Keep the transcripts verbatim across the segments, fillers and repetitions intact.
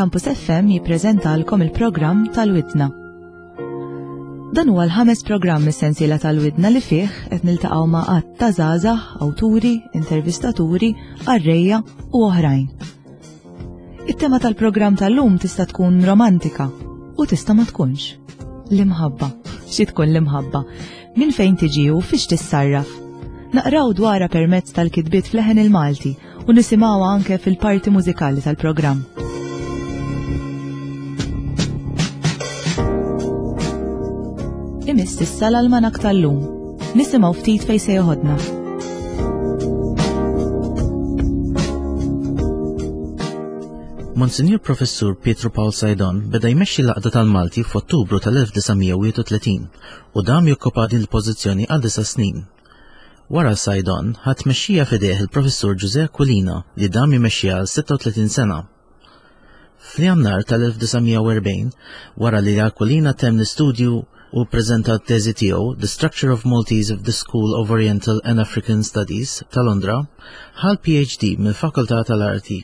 Campus F M jippreżentalkom il-programm tal-Widna. Dan huwa l-ħames programm mis-sensiela tal-Widna li fih qed niltaqgħu ma' għadd ta' żgħażagħ, awturi, intervistaturi, qarrejja u oħrajn. It-tema tal-programm tal-lum tista' tkun romantika u tista' ma tkunx. L-imħabba. Xi tkun l-imħabba? Min fejn tiġi u fiex tissarraf? Naqraw dwarha permezz tal-kitbiet f'Leħen il-Malti u nisimgħuha anke fil-parti mużikali tal-programm. Imiss issa l-almanak tal-lum. Nisimgħu ftit fejn se joħodna. Monsinjur Professur Pietro Pawl Saydon beda jmexxi l-Għaqda tal-Malti f'Ottubru tal-elf disa' mija u wieħed u tletin u dam jokkupa din il-pożizzjoni għal disa' snin. Wara Saydon ħa tmexxija f'idejh il-Professur Ġużè Aquilina li dam jmexxiha għal sitta u tletin sena. Fl-Jannar tal-elf disa' mija u erbgħin, wara li Aquilina temm l-istudju u ppreżenta t-teżi tiegħu The Structure of Maltese of the School of Oriental and African Studies ta' Londra, ħa l-P H D mill-Fakultà tal-Arti,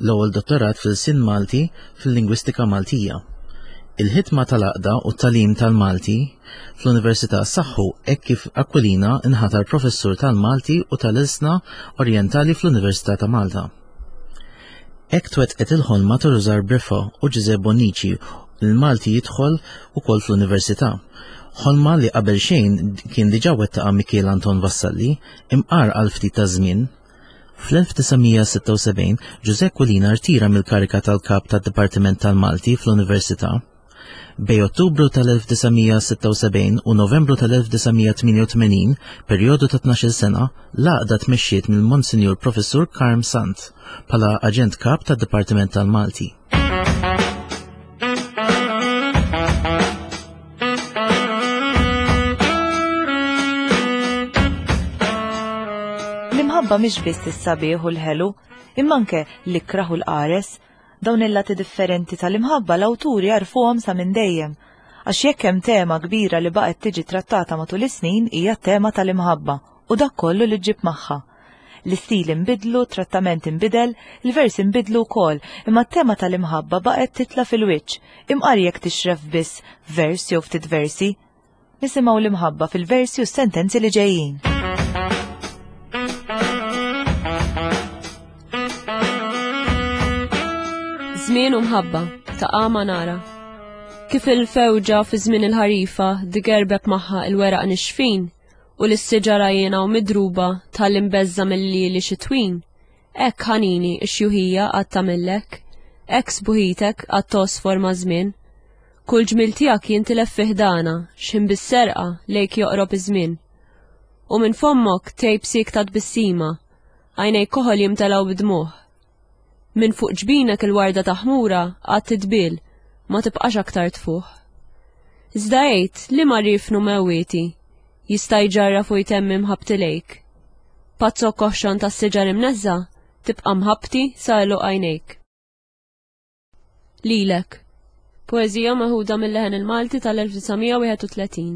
l-ewwel dottorat fil-Sin Malti fil-Lingwistika Maltija. Il-ħidma tal-għaqda u t-tagħlim tal-Malti fl-Università saħħu hekk kif Aquilina inħatar professur tal-Malti u tal-Ilsna Orientali fl-Università ta' Malta. Hekk twettqet il-ħolma ta' Rużar Briffa u Ġużè Bonnici l-Malti jidħol ukoll fl-Università. Ħolma li qabel xejn kien diġà wettaqa Mikiel Anton Vassalli imqar għal ftit ta' żmien. Fl-elf disa' mija sitta u sebgħin Ġużè Aquilina rtira mill-karika tal-kap tad-Dipartiment tal-Malti fl-Università. Bejn Ottubru tal-elf disa' mija sitta u sebgħin u Novembru tal-elf disa' mija tmienja u tmenin, perjodu ta' tnax-il sena, l-għaqda tmexxiet mill-Monsinjur Professur Karm Sant bħala aġent kap tad-Dipartiment tal-Malti. L-imħabba mhix biss is-sabiħ u l-ħelu, imma anke l-ikraħ u l-qares. Dawn il-lati differenti tal-imħabba l-awturi għarfuhom sa minn dejjem. Għax jekk hemm tema kbira li baqgħet tiġi trattata matul is-snin hija t-tema tal-imħabba u dak kollu li ġġib magħha. L-istil inbidlu, trattament inbidel, il-vers inbidlu wkoll, imma t-tema tal-imħabba baqgħet titla' fil-wiċċ, imqar jekk tixref biss vers jew ftit versi. Nisimgħu l-imħabba fil-versi u s-sentenzi li ġejjin. Żmien u mħabba ta' Għama Nara. Kif il-fewġa fi żmien il-ħarifa digerbeb magħha il-weraq nixfin u l-siġara jiena u midruba tal-imbeżza mill-lili xitwin, hekk ħanini x-xjuħija għad tagħmillek, hekk sbuħitek għad tosfor ma' żmien. Kull ġmil tiegħek jintilef fi ħdana, x'ħin bis-serqa lejk joqrob iż-żmien. U minn fommok tgħib siekta tbissima, għajnejk koħol jimtelgħu bidmuħ. Minn fuq ġbinek il-warda ta' ħmura għad titbil, ma tibqax aktar tfuħ. Iżda għid li ma rifnu mewwieti, jista' jġarraf u jtemmi mħabbti lejk. Pazzok koħxon tas-siġar imneżża, tibqa' mħabbti sa għeluq għajnejk. Lilek. Poeżija meħuda mill-Leħen il-Malti tal-elf disa' mija wieħed u tletin.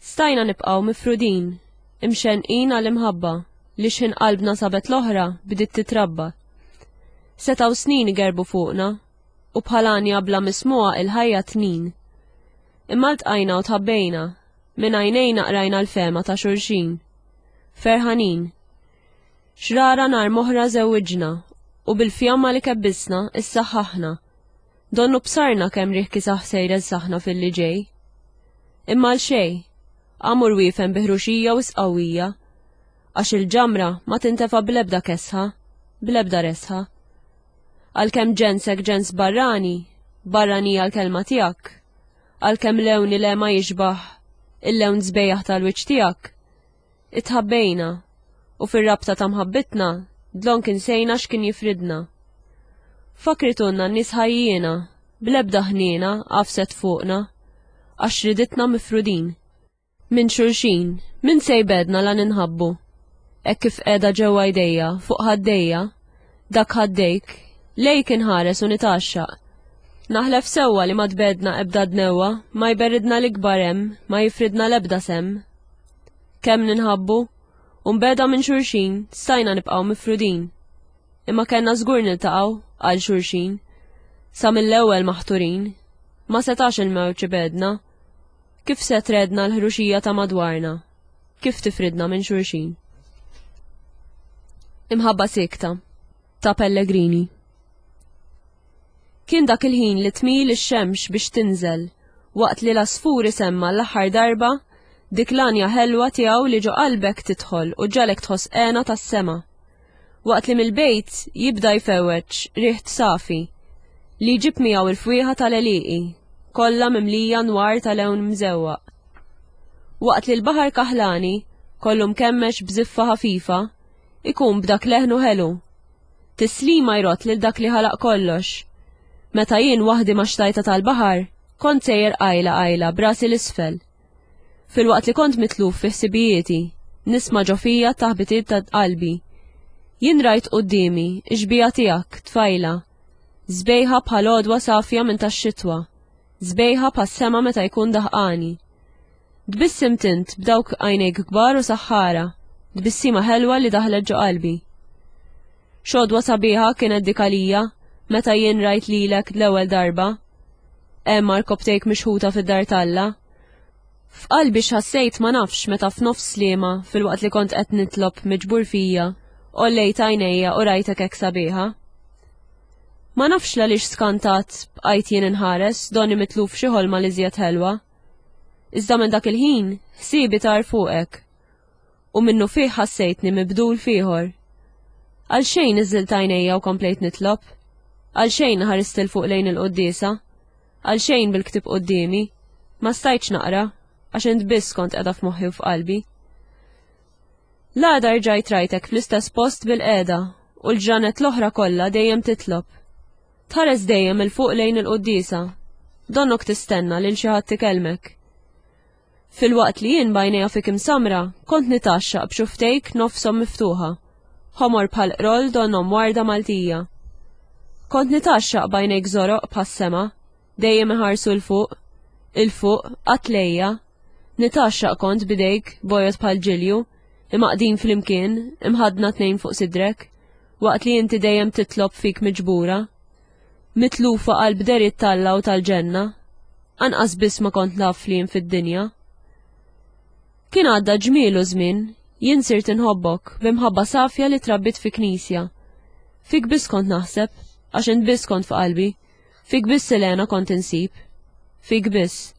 Stajna nibqgħu mifrudin, imxenqin għall-imħabba li x'ħin qalbna sabet l-oħra bdiet titrabba. Setaw snin igerbu fuqna u bħalanja bla mismuha il-ħajja tnin. Imma ltqajna u tħabbejna, minn għajnejna qrajna l-fema ta' xulxin. Ferħanin. Xrara nar moħra żewwiġna u bil-fjamma li kebbisna issaħħaħna. Donnu bsarna kemm riħ kisaħ sejra saħna fil-li ġej. Imma l xej, għamur wiefen biħruxija u sqawwija, għax il-ġamra ma tintefa blebda kesħa, blebda resħa. Għalkemm ġensek ġens barrani, barranija l-kelma tiegħek, għalkemm lewni le ma jixbaħ il-lewn sbejjaħ tal-wiċċ tiegħek, itħabbejna u fir-rabta ta' mħabbitna dlonk insejna x'kien jifridna. Fakritunna n-nies ħajjiena, blebda ħniena għafset fuqna, għax riditna mifrudin. Minn xulxin, min se jbedna la ninħabbu. Hekk kif qiegħda ġewwa jdejja, fuq ħaddejja, dak ħaddejk, lejk inħares u nitgħaxxaq. Naħlef sewwa li ma tbedna ebda dnewwa, ma jberidna l-ikbar hemm, ma jifridna l-ebda sem. Kemm ninħabbu, u nbeda minn xulxin, stajna nibqgħu mifrudin. Imma kellna żgur niltaqgħu għal xulxin, sa mill-ewwel maħturin, ma setax il-mewġ ibegħedna. Kif se tredna l-ħruxija ta' madwarna? Kif tifridna minn xulxin? Imħabba siekta ta' Pellegrini. Kien dak il-ħin li tmil ix-xemx biex tinżel, waqt li l-għasfur isemma l-aħħar darba dik l-għanja ħelwa tiegħu li ġo qalbek tidħol u ġġagħlek tħoss hena tas-sema. Waqt li mill-bejt jibda jfewweġ riħ safi li jġib miegħu il-fwieħa tal-għelieqi, kollha mimlija nwar ta' lewn mżewwaq. Waqt li l-baħar kaħlani, kollu mkemmex b'żiffa ħafifa, ikun b'dak leħnu ħelu. Tislima jrott lil dak li ħalaq kollox. Meta jien waħdi ma' xtajta tal-baħar, kont sejjer qajla qajla b'rasi l-isfel. Filwaqt li kont mitluf fi ħsibijieti, nisma' ġo fija t-taħbitiet ta' qalbi. Jien rajt quddiemi x-xbieha tiegħek, tfajla, sbejħa bħal għodwa safja minn tax-xitwa, sbejħa bħas-sema meta jkun daħqani. Tbissimt int b'dawk għajnejk kbar u saħħara, tbissima ħelwa li daħlet ġo qalbi. X'għodwa sabiħa kienet dik għalija meta jien rajt lilek l-ewwel darba. Hemm għarkopptejk mixħuta fid-dar t'Alla. F'qalbi x'ħassejt ma nafx meta f'nofs sliema filwaqt li kont qed nitlob miġbur fija, għollejt għajnejja u rajtek hekk sabiħa. Ma nafx l-għaliex skantat bqajt jien inħares donni mitluf xi ħolma li żjed ħelwa. Iżda minn dak il-ħin ħsiebi tar fuqek u minnu fih ħassejtni mibdul f'ieħor. Għalxejn niżżilt għajnejja u komplejt nitlob. Għalxejn ħarist 'il fuq lejn il-quddiesa. Għalxejn bil-ktieb quddiemi. Ma stajtx naqra, għax int biss kont qiegħda f'moħħi u f'qalbi. L-għada rġajt rajtek fl-istess post bil-qiegħda u l-ġranet l-oħra kollha dejjem titlob. Tħares dejjem 'il fuq lejn il-quddiesa. Donnok tistenna lil xi ħadd ikellmek. Filwaqt li jien b'għajnejja fik imsamra, kont nitgħaxxaq b'xuftejk nofshom miftuħa, ħomor bħal qroll donnhom warda Maltija. Kont nitgħaxxaq b'għajnejk żoroq bħas-sema, dejjem iħarsu 'l fuq, 'il fuq, qatt lejja. Nitgħaxxaq kont b'idejk bojod bħal ġilju, imgħaqqdin flimkien, imħaddna tnejn fuq sidrek, waqt li inti dejjem titlob fik miġbura. Mitlufa qalb deriet t'Alla u tal-ġenna, anqas biss ma kont naf li jien fid-dinja. Kien għadda ġmielu żmien, jien sirt inħobbok b'imħabba safja li trabbit fi knisja. Fik biss kont naħseb, għax int biss kont f'qalbi, fik biss il-hena kont insib. Fik biss.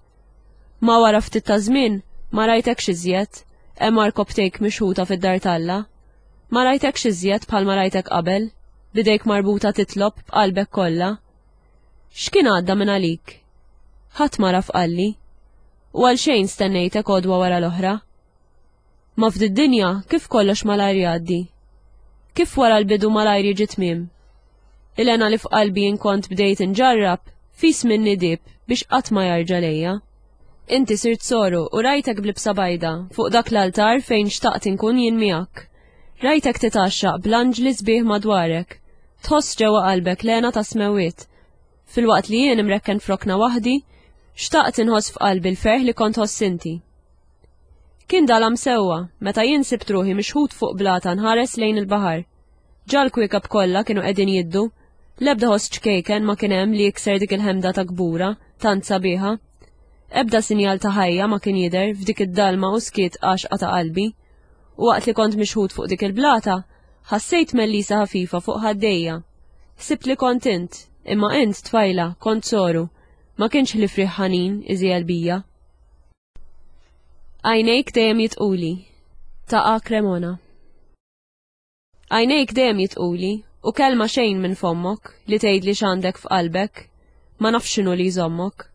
Ma wara ftit ta' żmien ma rajtekx iżjed, hemm għarkopptejk mixħuta fid-dar t'Alla. Ma rajtekx iżjed bħalma rajtek qabel, b'idejk marbuta titlob b'qalbek kollha. X'kien għadda minn għalik? Ħadd ma raf qalli. U għalxejn stennejtek għodwa wara l-oħra. Ma f'did-dinja kif kollox malajr jgħaddi? Kif wara l-bidu malajr jiġi tmiem? Il-hena li f'qalbi jien kont bdejt inġarrab, fis minni dib biex qatt ma jarġa' lejja. Inti sirt soru u rajtek b'libsa bajda fuq dak l-altar fejn xtaqt inkun jien miegħek. Rajtek titgħaxxaq bl-anġli sbieħ madwarek, tħoss ġewwa qalbek l-hena ta' smewwiet. Filwaqt li jien imrekken f'rokna waħdi, xtaqt inħoss f'qalbi l-ferħ li kont tħoss inti. Kien dalam sewwa meta jien sibt ruħi mixħut fuq blata nħares lejn il-baħar. Ġa l-kwiekeb kollha kienu qegħdin jiddu, l-ebda ħoss ċkejken ma kien hemm li jikser dik il-ħemda ta' kbura, tant sabiħa. Ebda sinjal ta' ħajja ma kien jidher f'dik id-dalma u skiet għaxqa ta' qalbi. U waqt li kont mixħut fuq dik il-blata, ħassejt mellisa ħafifa fuq ħaddejja. Ħsibt li kont int, imma int tfajla, kont soru, ma kienx ħlief riħ ħanin iżjel bija. Għajnejk dejjem jitquli, ta' A. Cremona. Għajnejk dejjem jitquli, u kelma xejn minn fommok li tgħidli x'għandek f'qalbek, ma nafx x'inhu li jżommok.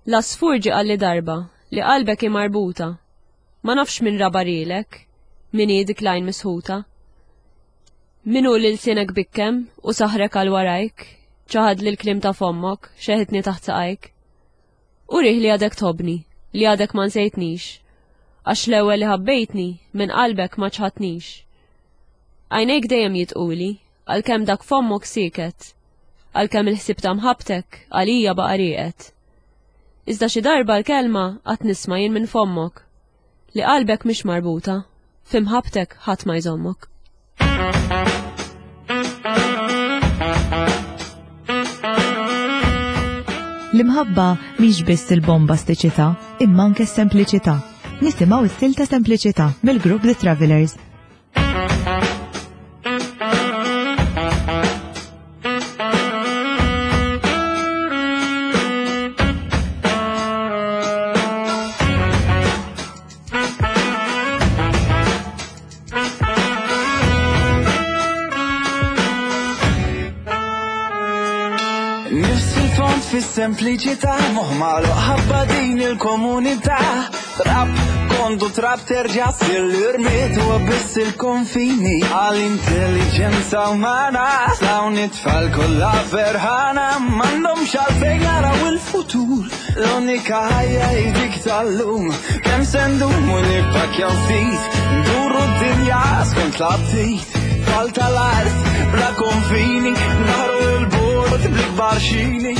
L-għasfur ġie qalli darba li qalbek hi marbuta, ma nafx min rabarilek, min hi dik l-għajn misħuta. Min hu li lsienek bikkem u saħrek għal warajk, ċaħad li l-kliem ta' fommok, xeħitni taħt saqajk. Urih li għadek tħobbni, li għadek ma nsejtnix, għax l-ewwel li ħabbejtni minn qalbek ma ċħadtnix. Għajnejk dejjem jitquli, għalkemm dak fommok sieket, għalkemm il-ħsieb ta' mħabbtek għalija baqa' rieqed. Iżda xi darba l-kelma qatt nisma' jien minn fommok, li qalbek mhix marbuta, fi mħabbtek ħadd ma jżommok. L-imħabba mhix biss il-bombastiċità, imma anke s-sempliċità. Nisimgħu s-silta Sempliċità mill-grupp The Travelers. Fis-sempliċità moħ magħluq ħabba din il-komunità. Trab kondu trab terġa' ssir l-irmiet huwa biss il-konfini għall-intelligenza umana. Dawn it-tfal kollha ferħana m'għandhomx għalfejn jaraw il-futur. L-unika ħajja hi dik tal-lum. Kemm se ndumu nippakkjaw ftit, nduru d-dinja skont l-aptit. Tfal tal-art bla konfini, naħru il-bord bl-ikbar xini.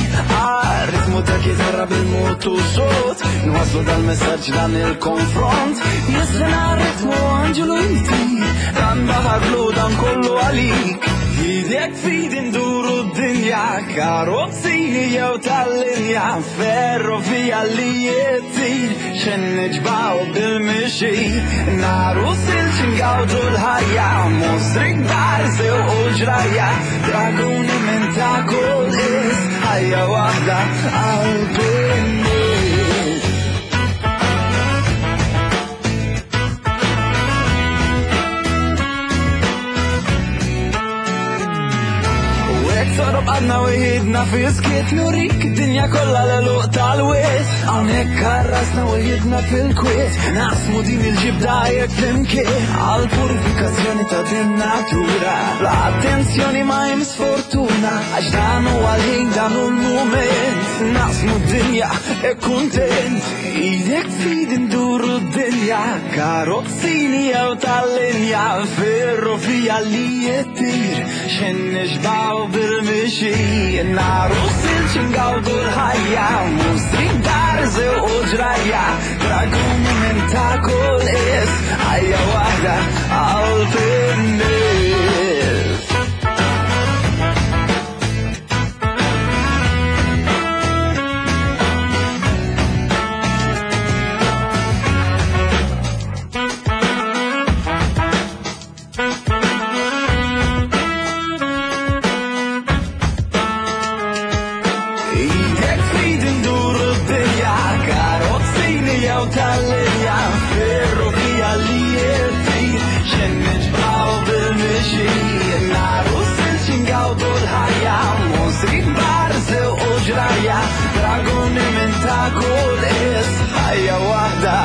Ritmu ta' kitarra bil-mod u sot, nwaslu dal-messaġġ dan il-konfront. Jislina ritmu anġelu jtir, dan baħar blu dan kollu għalik. Idek fid induru d-dinja, karozzini jew tal-linja, ferrovija li jittir, xen niġbaw bil-mixi. Naru silġ ngawdu l-ħajja, mostri kbar sew u ġrajja, draguni minn ta' kull is, ħajja waħda qalb in-nies. Sorob għadna u jidna fiskiet, nurik id-dinja kollha l-għeluq tal-wiet. Hawnhekk karrasna u jidna fil-kwiet, naqsmu din il-ġibda jekk flimkien. Għal-purifikazzjoni ta' din natura, bla attenzjoni ma hemm sfortuna, għax dan huwa l-ħin dan hu l-mument. Naqsmu d-dinja e kuntent, idek fid induru d-dinja, karozzini jew tal-linja, ferrovija li jittir, xen nixbaw bil mixi. Naru silġ ngawdu l-ħajja, mostri kbar żew u ġrajja, draguni minn ta' kull is, ħajja waħda qalb in-nies. Tal-linja, ferrovija li jittir, xen niġbaw bil-mixi. Naru silġ ngawdu l-ħajja, mostri kbar sew u ġrajja, draguni minn ta' kull is, ħajja waħda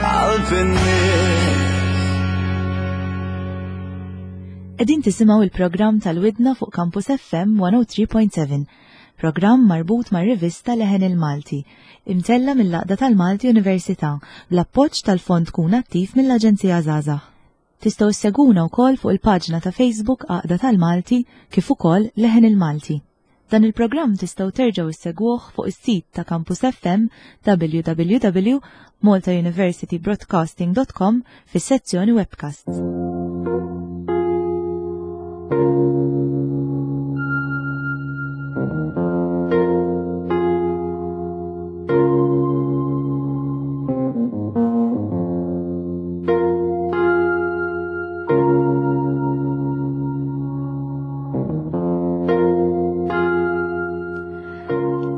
qalb in-nies. Qegħdin tisimgħu il-programm tal-Widna fuq Campus F M one oh three point seven, programm marbut mar-rivista Leħen il-Malti, imtella mill-Għaqda tal-Malti Università bl-appoġġ tal-Fond Kun Attiv mill-Aġenzija Żgħażagħ. Tistgħu ssegwuna wkoll fuq il-paġna ta' Facebook Għaqda tal-Malti kif ukoll Leħen il-Malti. Dan il-programm tistgħu terġgħu ssegwuh fuq is-sit ta' Campus F M w w w dot malta university broadcasting dot com fis-sezzjoni webcasts.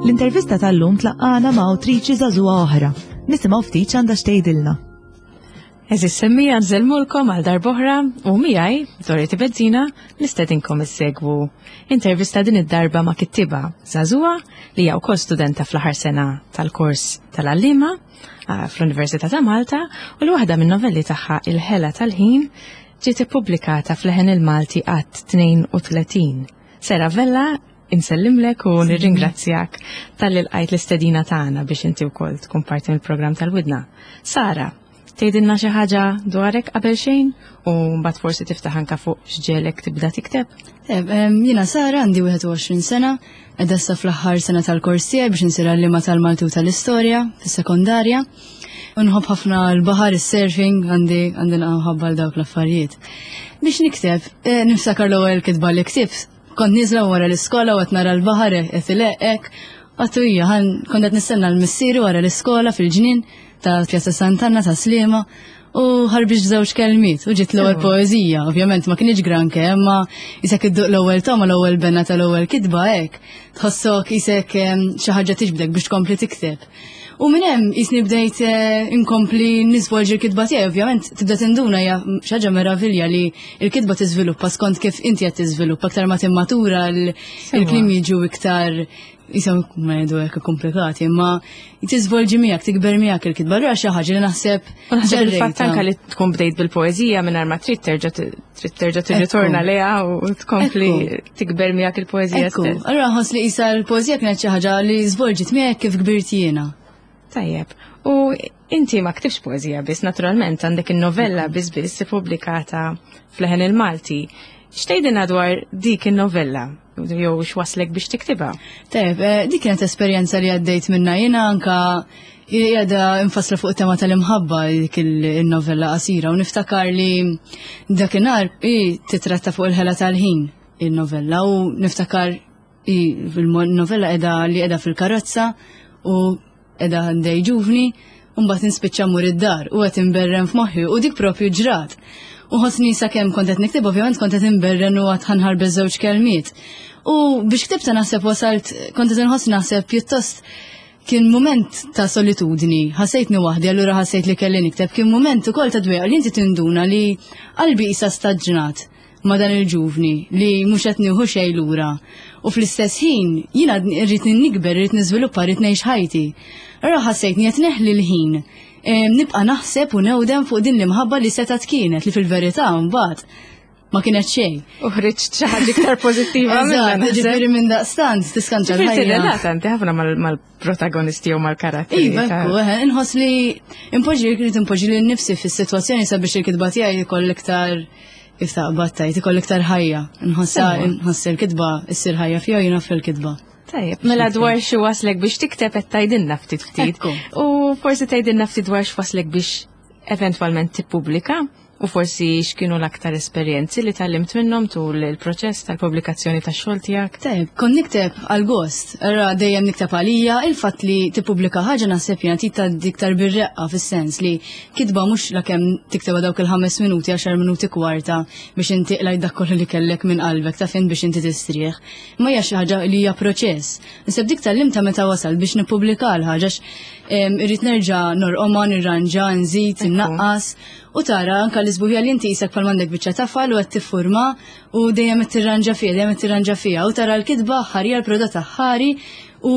L-intervista tal-lum tlaqqana ma' awtriċi żagħżugħa oħra. Nisimgħu ftit x'għandha x'tgħidilna. Eżis semmija nżellmulkom għal darb'oħra u miegħi Dorothy Bezzina nistedinkom issegwu intervista din id-darba ma' kittiba żagħżugħa li hija wkoll studenta fl-aħħar sena tal-kors tal-għalliema fl-Università ta' Malta u l waħda min-novelli tagħha Il-Ħela tal-Ħin ġiet ippubblikata fl-Leħen il-Malti qatt tnejn u tletin. Sera Vella, insellimlek u nirringrazzjak tal-li lqajt l-istedina tagħna biex inti wkoll tkun parti mill-programm tal-Widna. Sara, tgħidilna xi ħaġa dwarek qabel xejn u mbagħad forsi tiftaħ anke fuq x'ġelek tibda tikteb? Jiena Sara, għandi wieħed u għoxrin sena, qiegħda issa fl-aħħar sena tal-kors tiegħi biex insir għalliema tal-Malti u tal-Istorja fis-sekondarja. Nħobb ħafna l-baħar, is-surfing, għandi għandi nħobb għal dawk l-affarijiet. Biex nikteb, niftakar l-ewwel kitba li ktibt. Kont niżla wara l-iskola u qed nara l-baħar qed ileqek, Għattu hija, kont qed nistenna l-missieri wara l-iskola fil-ġnien ta' Pjazza Sant'Anna ta' Sliema u ħarbiġ żewġ kelmiet u ġiet l-ewwel poeżija. Ovvjament ma kienx granke, imma isek idduq l-ewwel toma l-ewwel benna tal-ewwel kitba hekk. Tħossok isek xi ħaġa tiġbdek biex tkompli tikteb. U minn hemm jisni bdejt inkompli nisvolġi l-kitba tiegħi, ovvjament tibda tinduna hija xi ħaġa meravilja li l-kitba tiżviluppa skont kif inti qed tiżviluppa aktar ma timmatura l-kliem jiġu iktar jisom ma jgħidu hekk komplikati, imma tiżvolġi miegħek, tikber miegħek il-kitba. Allura xi ħaġa li naħseb. Naħseb il-fatt anke li tkun bdejt bil-poeżija mingħajr ma trid terġa' trid terġa' tirritorna lejha u tkompli tikber miegħek il-poeżija stess. Allura nħoss li qisha l-poeżija kienet xi ħaġa li żvolġiet miegħek kif kbirt jiena. Tajjeb. U inti ma ktibx poeżija biss, naturalment għandek in-novella biss biss ippubblikata f'Leħen il-Malti. X'tgħidilna dwar dik in-novella? Jew x'waslek biex tiktibha? Tajjeb, dik kienet esperjenza li għaddejt minna jiena anka qiegħda infassla fuq tema tal-imħabba dik il-novella qasira u niftakar li dakinhar hi titratta fuq il-ħela tal-ħin il-novella u niftakar il-novella qiegħda li qiegħda fil-karozza u qiegħda għandej ġuvni u mbagħad nispiċċa mmur id-dar u qed inberren f'moħħi u dik propju ġrat. U ħossni sakemm kont qed nikteb ovvjament kont qed inberren u għad ħanħarbeż żewġ kelmiet. U biex ktibta naħseb wasalt kont qed inħoss naħseb pjuttost kien mument ta' solitudni, ħassejtni waħdi, allura ħassejt li kelli nikteb, kien mument ukoll ta' dwejqa li inti tinduna li qalbi qisha staġnat ma' dan il-ġuvni li mhux qed nieħu xejn lura. U fl-istess ħin jiena rrid nikber, rrid niżviluppa, rrid ngħix ħajti. Allura ħassejtni qed neħli l-ħin. Nibqa' naħseb u newdem fuq din l-imħabba li setgħet kienet li fil-verità mbagħad ma kienet xejn. U ħriġt xi ħaġa iktar pożittiva minnha. Ġifieri minn daqstant tiskanċa l-ħajja. Tirrelata inti ħafna mal-protagonisti jew mal-karatteri. Iva, ekku, inħoss li impoġġi rrid impoġġi lil nifsi fis-sitwazzjoni sabiex il-kitba tiegħi jkoll iktar kif taqbad tajt, ikoll iktar ħajja. Nħossa nħoss il-kitba issir ħajja fiha jiena fil-kitba. Tajjeb, mela dwar xi waslek biex tikteb qed tgħidilna ftit ftit. U forsi tgħidilna ftit dwar x'waslek biex eventwalment tippubblika u forsi x'kienu l-aktar esperjenzi li tgħallimt minnhom tul il-proċess tal-pubblikazzjoni tax-xogħol tiegħek. Tajjeb, kont nikteb għal gost, ra dejjem nikteb għalija, il-fatt li tippubblika ħaġa naħseb jiena trid tgħaddi iktar bir-reqqa fis-sens li kitba mhux lakemm tiktebha dawk il-ħames minuti, għaxar minuti kwarta biex inti qlajt dak kollu li kellek minn qalbek ta' fejn biex inti tistrieħ. Ma hija xi ħaġa li hija proċess. Naħseb dik tgħallimtha meta wasal biex nippubblika l-ħaġa irrid nerġa' norqomha, nirranġa, nżid, innaqqas u tara anka l-isbuħija li inti qisek bħal m'għandek biċċa tafal u qed tiffurma u dejjem qed tirranġa fiha, dejjem qed tirranġa fiha u tara l-kitba ħarija l-prodott ħari u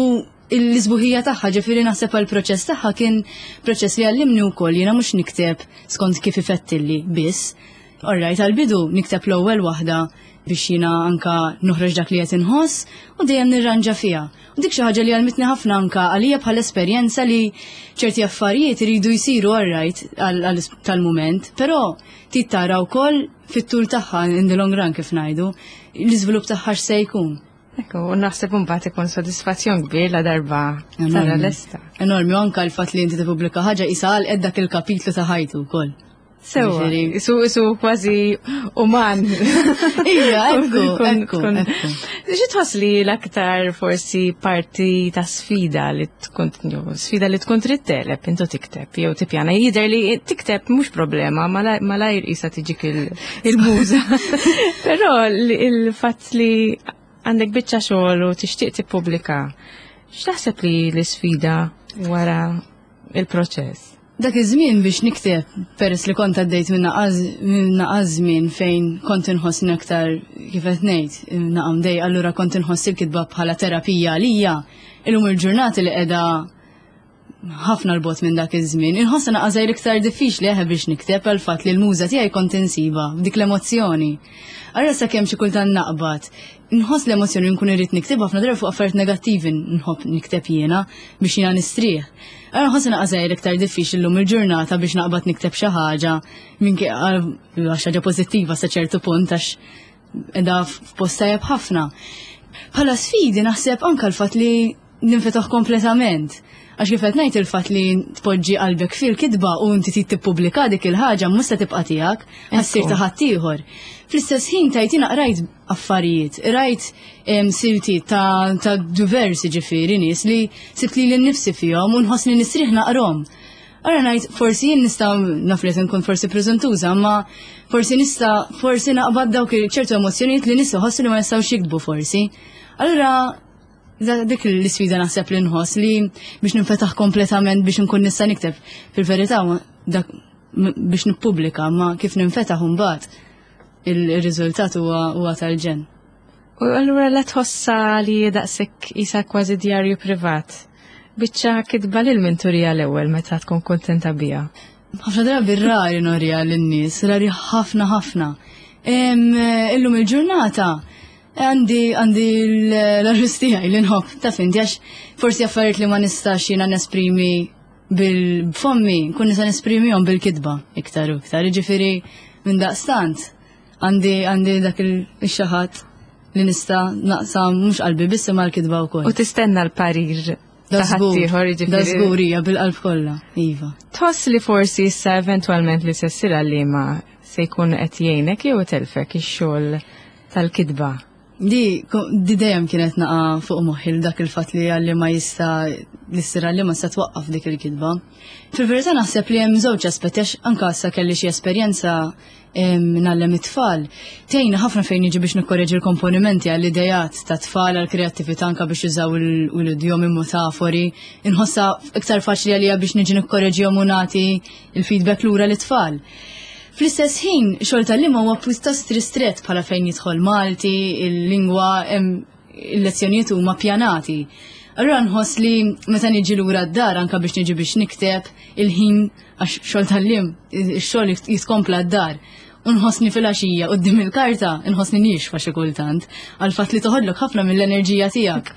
l-isbuħija tagħha, ġifieri naħseb għall-proċess tagħha kien proċess li għallimni wkoll jiena mhux nikteb skont kif ifettilli biss. Orrajt, għal-bidu nikteb l-ewwel waħda biex jiena anka noħroġ dak li qed inħoss u dejjem nirranġa fiha. U dik xi ħaġa li għalmitni ħafna anka għalija bħal esperjenza li ċerti affarijiet iridu jsiru orrajt tal-mument, però trid tara wkoll fit-tul tagħha in the long run kif ngħidu, l-iżvilupp tagħha x'se jkun. Ekku, u naħseb imbagħad ikun sodisfazzjon kbir la darba tara lesta. Enormi, u anka l-fatt li inti tippubblika ħaġa qisha għalqet dak il-kapitlu ta' ħajtu wkoll. Sewa, isu isu kważi uman. Ija, ekku, ekku, ekku. Xi tħoss li l-aktar forsi parti ta' sfida li tkun sfida li tkun trid tegħleb intu tikteb jew tippjana jidher li tikteb mhux problema malajr qisha tiġik il-muża. Però il-fatt li għandek biċċa xogħol u tixtieq tippubblika, x'taħseb li l-isfida wara il-proċess? Dak iż-żmien biex nikteb, peress li kont għaddejt minn naqas żmien fejn kont inħossni aktar kif qed ngħid, naqam dej, allura kont inħoss il-kitba bħala terapija għalija. Illum il-ġurnati li qiegħda ħafna l-bot minn dak iż-żmien, inħossha naqas iktar diffiċli eħe biex nikteb għal fatt li l-muża tiegħi kont insiba b'dik l-emozzjoni. Allura sakemm xi kultant naqbad, nħoss l-emozzjoni nkun irrid nikteb ħafna drabi fuq affarijiet negattivi nħobb nikteb jiena biex jiena nistrieħ. Allura nħoss naqas iktar diffiċli llum il-ġurnata biex naqbad nikteb xi ħaġa minn għax ħaġa pożittiva sa ċertu punt għax qiegħda f'post tajjeb ħafna. Bħala sfidi naħseb anke l-fatt li ninfetaħ kompletament. Għax kif qed ngħid il-fatt li tpoġġi qalbek fil-kitba u inti trid tippubblika dik il-ħaġa mhux se tibqa' tiegħek, ħassir ta' ħaddieħor. Fl-istess ħin tajt jiena qrajt affarijiet, rajt silti ta', ta' diversi ġifieri nies li sibt li nnifsi fihom u nħossni nisriħ naqrom. Ara ngħid forsi jien nista' naf li nkun forsi preżentuża, ma forsi nista' forsi naqbad dawk ċertu emozzjonijiet li nies iħossu li ma jistgħux jiktbu forsi. Allura dik l-isfida naħseb li nħoss li biex ninfetaħ kompletament biex nkun nista' nikteb. Fil-verità dak biex nippubblika, ma kif ninfetaħ imbagħad il-riżultat huwa tal-ġenn. U allura la tħossa li daqshekk isa kważi djarju privat. Biċċa kitba lil min turija l-ewwel meta tkun kontenta biha. Ħafna drabi rari norija lin-nies, rari ħafna ħafna. Illum il-ġurnata għandi għandi l-arrus tiegħi li nħobb, taf inti, għax forsi affarijiet li ma nistax jiena nesprimi bil-fommi, nkun nista' nesprimihom bil-kitba iktar u iktar. Jiġifieri minn daqstant għandi għandi dak il-xaħat li nista' naqsam mhux qalbi biss imma l-kitba wkoll. U tistenna l-parir ta' ħaddieħor, jiġifieri. Da żgur hija bil-qalb kollha, iva. Tħoss li forsi issa eventwalment li se ssir għalliema se jkun qed jgħinek jew itelfek ix-xogħol tal-kitba? Di, di dejjem kienet naqa' fuq moħħi dak il-fatt li għalli ma jista' li ssir għalli ma se twaqqaf dik il-kitba. Fil-verità naħseb li hemm żewġ aspetti għax anke issa kelli xi esperjenza ngħallem it-tfal. Tgħinna ħafna fejn jiġi biex nikkoreġi l-komponimenti għall-idejat ta' tfal, għall-kreattività anke biex jużaw l-idjomi metafori. Inħossha iktar faċli għalija biex niġi nikkoreġihom u nagħti il-feedback lura lit-tfal. Fl-istess ħin, xogħol tal-lima huwa pjuttost ristret bħala fejn jidħol Malti, il-lingwa, il-lezzjonijiet huma pjanati. Allura nħoss li meta niġi lura d-dar anke biex niġi biex nikteb il-ħin għax xogħol tal-lim, ix-xogħol jitkompla d-dar. U nħossni fil-għaxija quddiem il-karta, nħossni nixfa xi kultant għal fatt li toħodlok ħafna mill-enerġija tiegħek.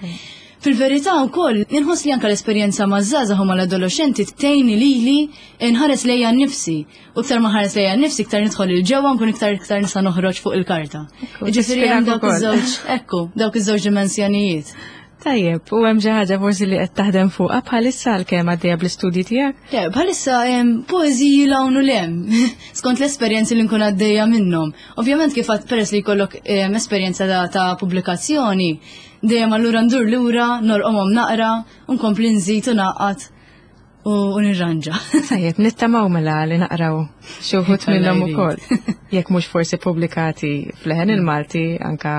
Fil-verità wkoll inħoss li anke l-esperjenza maż-żgħażagħ u mal-adolexxenti tgħinni lili nħares lejja nnifsi. U iktar ma ħares lejja nnifsi iktar nidħol il-ġewwa nkun iktar iktar nista' noħroġ fuq il-karta. Jiġifieri hemm dawk iż-żewġ, ekku, dawk iż-żewġ dimensjonijiet. Tajjeb, u hemm xi ħaġa forsi li qed taħdem fuqha bħalissa għalkemm għaddejja bl-istudji tiegħek? Le, bħalissa hemm poeżiji l hawn u l hemm, skont l-esperjenzi li nkun għaddejja minnhom. Ovvjament kif għad peress li jkollok esperjenza ta' pubblikazzjoni, dejjem allura ndur lura, norqomhom naqra, u nkompli nżid u naqgħad u nirranġa. Tajjeb, nittamaw mela li naqraw xi wħud minnhom ukoll. Jekk mhux forsi pubblikati f'Leħen il-Malti anka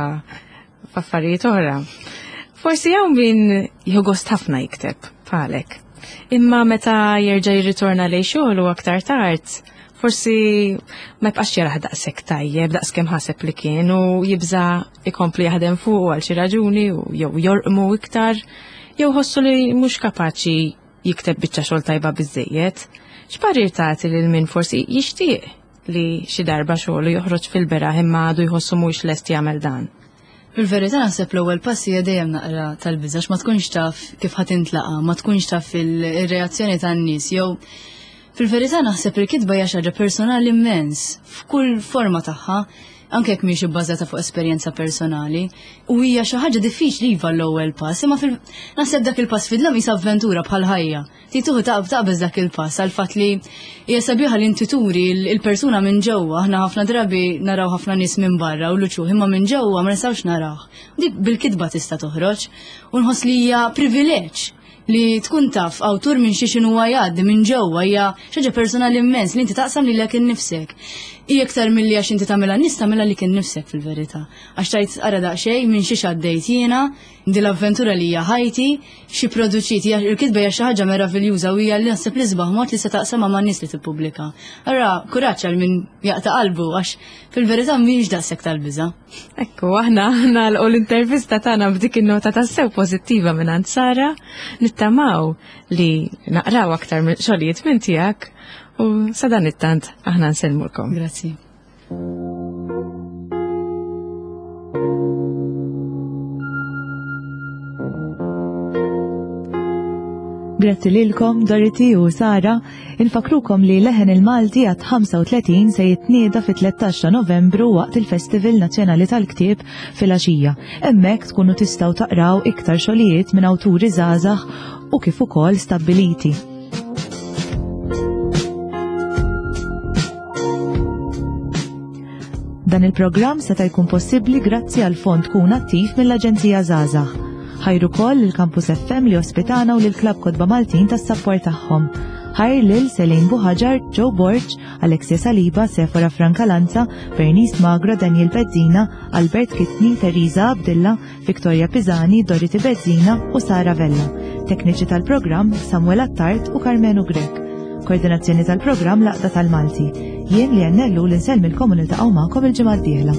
f'affarijiet oħra. Forsi hawn min jieħu gost ħafna jikteb bħalek. Imma meta jerġa' jirritorna lejn xogħol u aktar tard, forsi ma jibqax jaraħ daqshekk tajjeb, daqskemm ħaseb li kien u jibża' ikompli jaħdem fuq għal xi raġuni u jew jorqmu iktar, jew ħossu li mhux kapaċi jikteb biċċa xogħol tajba biżejjed. X'parir tagħti lil min forsi jixtieq li xi darba xogħlu joħroġ fil-beraħ imma għadu jħossu mhux lest jagħmel dan? Fil-verità naħseb l-ewwel pass hija dejjem naqra tal-biża' ma tkunx taf kif ħadd intlaqa, ma tkunx taf il-reazzjoni tan-nies jew fil-verità naħseb il-kitba hija xi ħaġa personali immens f'kull forma tagħha, anke jekk mhix ibbażata fuq esperjenza personali, u hija xi ħaġa diffiċli iva l-ewwel pass, imma naħseb dak il-pass fidlam isa avventura bħal ħajja. Tituħu taqbeż dak il-pass għal fatt li hija sabiħa li inti turi il-persuna minn ġewwa, aħna ħafna drabi naraw ħafna nies minn barra u l-uċuħ, imma minn ġewwa ma nistgħux naraw. Dik bil-kitba tista' toħroġ u nħoss li hija privileġġ li tkun taf awtur minn xi x'inhu jgħaddi minn ġewwa hija xi ħaġa personali immens li inti taqsam lilek innifsek. Hija iktar milli għax inti tagħmilha nies tagħmilha lik innifsek fil-verità. Għax tajt ara daqsxejn minn xi għaddejt jiena, din l-avventura li hija ħajti, xi produċit, il-kitba hija xi ħaġa meraviljuża u hija li naħseb li sbaħ mod li se taqsamha man-nies li tippubblika. Ara kuraġġ għal min jaqta' qalbu għax fil-verità mhijiex daqshekk tal-biża'. Ekku, aħna nagħlqu l-intervista tagħna b'dik in-nota tassew pożittiva minn Sara, nittamaw li naqraw aktar xogħlijiet minn tiegħek u sadan it-tant aħna nsellmulkom. Grazzi. Grazzi lilkom, Dorothy u Sara. Infakrukom li Leħen il-Malti għadd ħamsa u tletin se jitnieda fit-tlettax ta' Novembru waqt il-Festival Nazzjonali tal-Ktieb fil-għaxija. Hemmhekk tkunu tistgħu taqraw iktar xogħlijiet minn awturi żgħażagħ u kif ukoll stabbiliti. Dan il-programm seta' jkun possibbli grazzi għal fond Kun Attiv mill-Aġenzija Żgħażagħ. Ħajr ukoll il-Campus F M li ospitana u lil Klabb Kotba Maltin tas-sapport tagħhom. Ħajr lil Selin Buħaġar, Joe Borg, Alexia Saliba, Sefora Francalanza, Bernice Magro, Daniel Bezzina, Albert Kitni, Teresa Abdilla, Victoria Pisani, Dorothy Bezzina u Sara Vella. Tekniċi tal-programm Samuel Attard u Carmenu Grek. Koordinazzjoni tal-programm l-Għaqda tal-Malti. Jien li għannellu l-insellmilkom u niltaqgħu magħkom il-ġimgħa d-dieħla.